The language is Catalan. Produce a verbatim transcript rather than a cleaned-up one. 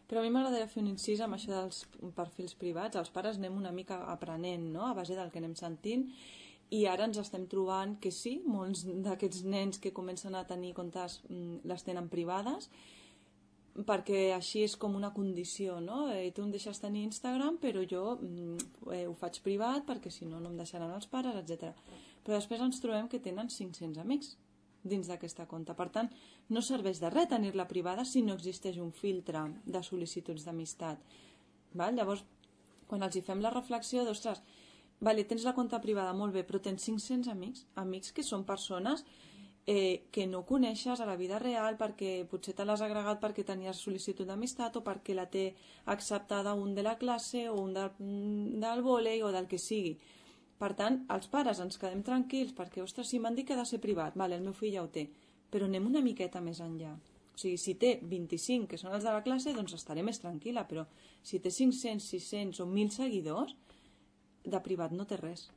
Però a mi m'agradaria fer un incís amb això dels perfils privats. Els pares anem una mica aprenent, no?, a base del que anem sentint, i ara ens estem trobant que sí, molts d'aquests nens que comencen a tenir comptes les tenen privades, perquè així és com una condició, no? Eh, tu em deixes tenir Instagram, però jo eh, ho faig privat perquè si no no em deixaran els pares, etcètera. Però després ens trobem que tenen cinc-cents amics dins d'aquesta compte. Per tant, no serveix de res tenir-la privada si no existeix un filtre de sol·licituds d'amistat. Val? Llavors, quan els hi fem la reflexió d'ostres, vale, tens la compte privada, molt bé, però tens cinc-cents amics, amics que són persones eh, que no coneixes a la vida real perquè potser te l'has agregat perquè tenies sol·licitud d'amistat o perquè la té acceptada un de la classe o un del, del vòlei o del que sigui. Per tant, els pares ens quedem tranquils perquè, ostres, si m'han dit que ha de ser privat, vale, el meu fill ja ho té, però anem una miqueta més enllà. O sigui, si té vint-i-cinc que són els de la classe, doncs estaré més tranquil·la, però si té cinc-cents, sis-cents o mil seguidors, de privat no té res.